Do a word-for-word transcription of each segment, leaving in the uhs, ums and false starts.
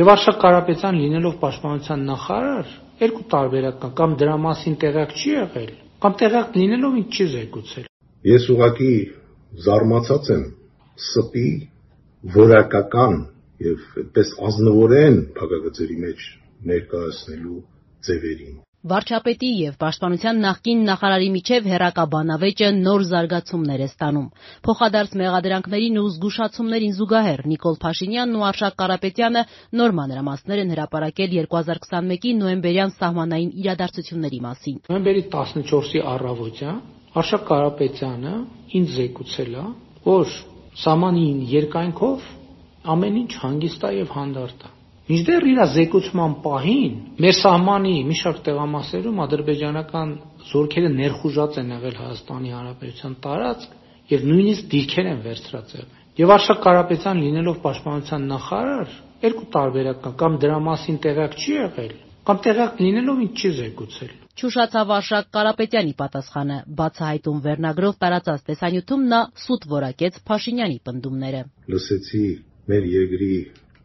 Եվ Արշակ Կարապետյան լինելով պաշտպանության նախարար երկու տարբերակ կա, կամ դրա մասին տեղյակ չի եղել, կամ տեղյակ լինելով ինձ չի զեկուցել։ Ես ուղղակի զարմացած եմ սպի որակական եւ այդպես ազնվորեն փակագծերի մեջ ներկայացնելու ձևերին։ Վարչապետի եւ Պաշտպանության նախկին նախարարի միջև հեռակաբանավեճը նոր զարգացումներ է ստանում։ Փոխադարձ մեղադրանքներին ու զգուշացումներին զուգահեռ Նիկոլ Փաշինյանն ու Արշակ Կարապետյանը նոր մանրամասներ են հրապարակել երկու հազար քսանմեկի նոյեմբերյան սահմանային իրադարձությունների մասին։ Նոյեմբերի տասնչորսի առավոտյան Արշակ Կարապետյանը ինձ զեկուցել է, որ սահմանին երկայնքով ամեն ինչ հանգիստ է եւ հանդարտ է։ Մինչդեռ իր զեկուցման պահին մեր սահմանի մի շարք տեղամասերում ադրբեջանական զորքերը ներխուժած են եղել Հայաստանի Հանրապետության տարածք եւ նույնիսկ դիրքեր են վերցրած եղել։ Եվ Արշակ Կարապետյան լինելով պաշտպանության նախարար երկու տարբերակ կա, կամ դրա մասին տեղյակ չի եղել, կամ տեղյակ լինելով ինձ չի զեկուցել։ Չուշացավ Արշակ Կարապետյանի պատասխանը, բացահայտում վերնագրով տարածած տեսանյութում նա սուտ որակեց Փաշինյանի պնդումները։ Լսեցի մեր երկրի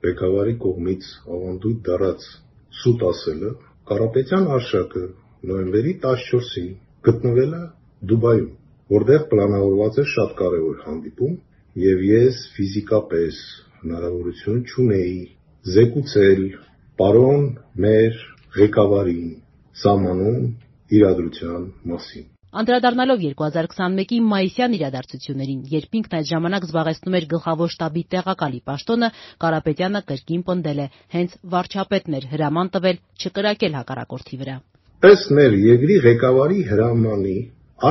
ղեկավարի կողմից ավանդույթ դառած սուտ ասելը, Կարապետյան Արշակը նոյեմբերի տասնչորսին գտնվել է Դուբայում, որտեղ պլանավորված է շատ կարևոր հանդիպում, եւ ես ֆիզիկապես հնարավորություն չունեի զեկուցել պարոն մեր ղեկավարին սահմանում իրադրության մասին։ Անդրադառնալով երկու հազար քսանմեկի մայիսյան իրադարձություններին, երբ ինքն այդ ժամանակ զբաղեցնում էր գլխավոր շտաբի տեղակալի պաշտոնը, Կարապետյանը կրկին պնդել է, հենց վարչապետն էր հրաման տվել չկրակել հակառակորդի վրա։ Ըստ մեր երկրի ղեկավարի հրամանի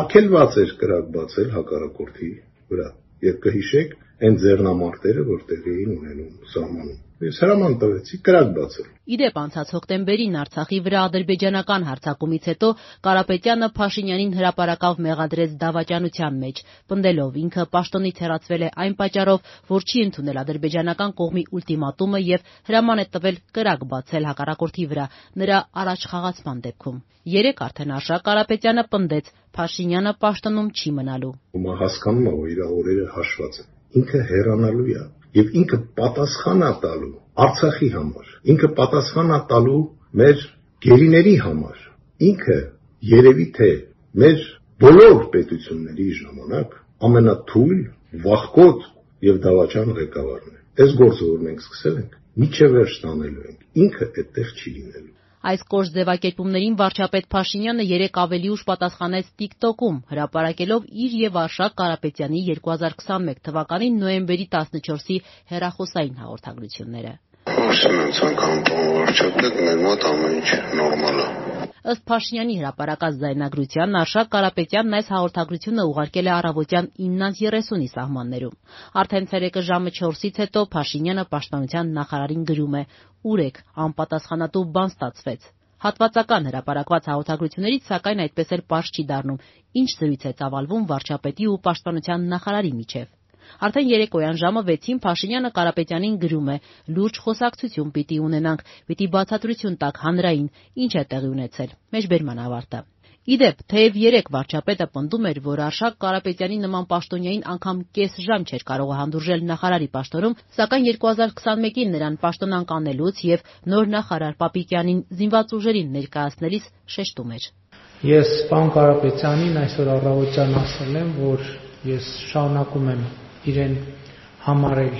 արգելված էր կրակ բացել հակառակորդի վրա, եւ կհիշեք այն ձեռնամարտերը, որ տեղի էին ունենում սահմանում։ Ես հրաման տվեցի կրակ բացել։ Իդեպ անցած հոկտեմբերին Արցախի վրա ադրբեջանական հարձակումից հետո Կարապետյանը Փաշինյանին հրապարակավ մեղադրեց դավաճանության մեջ, պնդելով ինքը պաշտոնից հեռացվել է այն պատճառով, որ չի ընդունել ադրբեջանական կողմի ուլտիմատումը եւ հրաման է տվել կրակ բացել հակառակորդի վրա նրա առաջխաղացման դեպքում։ Երեկ արդեն Արշակ Կարապետյանը պնդեց Փաշինյանը պաշտոնում չի մնալու։ Ումա հասկանում է, որ իր օրերը հաշված են։ Ինքը հեռանալու է եւ ինքը պատասխան է տալու Արցախի համար, ինքը պատասխան է տալու մեր գերիների համար, ինքը երևի թե մեր բոլոր պետությունների ժամանակ ամենաթույլ, վախկոտ եւ դավաճան ղեկավարն է։ Այս գործը, որ մենք սկսել ենք, միջև վերջ տանելու ենք, ինքը այդտեղ չի լինելու։ Այս կոշտ ձևակերպումներին վարչապետ Փաշինյանը երեկ ավելի ուշ պատասխանեց TikTok-ում, հրապարակելով իր եւ Արշակ Կարապետյանի երկու հազար քսանմեկ թվականի նոյեմբերի տասնչորսի հեռախոսային հաղորդագրությունները։ Ասում եմ ցանկանում վարչապետ, մեր մոտ ամեն ինչ նորմալ է։ Ըստ Փաշինյանի հրապարակած ձայնագրության, Արշակ Կարապետյանն այս հաղորդագրությունը ուղարկել է առավոտյան իննից երեսունի սահմաններում։ Արդեն ցերեկը ժամը չորսից հետո Փաշինյանը պաշտպանության նախարարին գրում է. «Ուր եք, անպատասխանատու բան ստացվեց»։ Հատվածական հրապարակված հաղորդագրություններից սակայն այդպես էլ պարզ չի դառնում, ինչ զրույց է ծավալվում վարչապետի ու պաշտպանության նախարարի միջև։ Արդեն երեկոյան ժամը վեցին Փաշինյանը Կարապետյանին գրում է. «Լուրջ խոսակցություն պիտի ունենանք, պիտի բացատրություն տաք հանրային, ինչ է տեղի ունեցել»։ Մեջբերման ավարտը։ Իդեպ, թեև երեկ վարչապետը պնդում էր, որ Արշակ Կարապետյանի նման պաշտոնյային անգամ կես ժամ չէր կարող հանդուրժել նախարարի պաշտոնում, սակայն երկու հազար քսանմեկին նրան պաշտոնանկ անելուց եւ նոր նախարար Պապիկյանին զինված ուժերին ներկայացնելիս շեշտում էր. Ես պարոն Կարապետյանին այսօր առավոտյան ասել եմ, որ ես շարունակում եմ իրեն համարել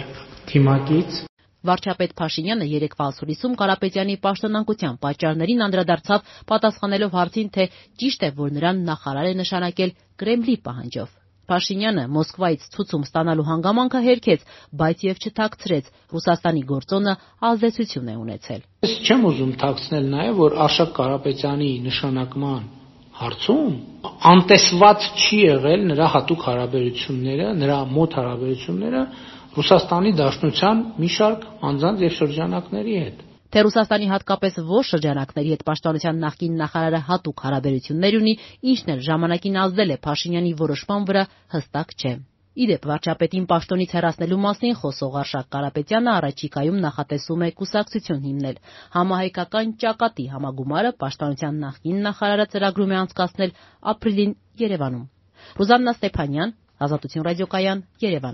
թիմակից։ Վարչապետ Փաշինյանը երեկվա ասուլիսում Կարապետյանի պաշտոնանկության պատճառներին անդրադարձավ, պատասխանելով հարցին, թե ճիշտ է, որ նրան նախարար է նշանակել Կրեմլի պահանջով։ Փաշինյանը Մոսկվայից ցուցում ստանալու հանգամանքը հերքեց, բայց եւ չթաքցրեց, Ռուսաստանի գործոնը ազդեցություն է ունեցել։ Ես չեմ ուզում թաքցնել նաեւ, որ Արշակ Կարապետյանի նշանակման հարցում անտեսված չի եղել նրա հատուկ հարաբերությունները, նրա մոտ հարաբերությունները Ռուսաստանի Դաշնության մի շարք անձանց եւ շրջանակների հետ։ Թե Ռուսաստանի հատկապես որ շրջանակների հետ պաշտպանության նախկին նախարարը հատուկ հարաբերություններ ունի, ինչն էլ ժամանակին ազդել է Փաշինյանի որոշման վրա, հստակ չէ։ Իդեպ վարչապետին պաշտոնից հեռացնելու մասին խոսող Արշակ Կարապետյանը առաջիկայում նախատեսում է կուսակցություն հիմնել։ Համահայկական ճակատի համագումարը պաշտպանության նախկին նախարարը ծրագրում է անցկացնել ապրիլին Երևանում։ Ռուզաննա Ստեփանյան, Ազատություն ռադիոկայան, Երևան։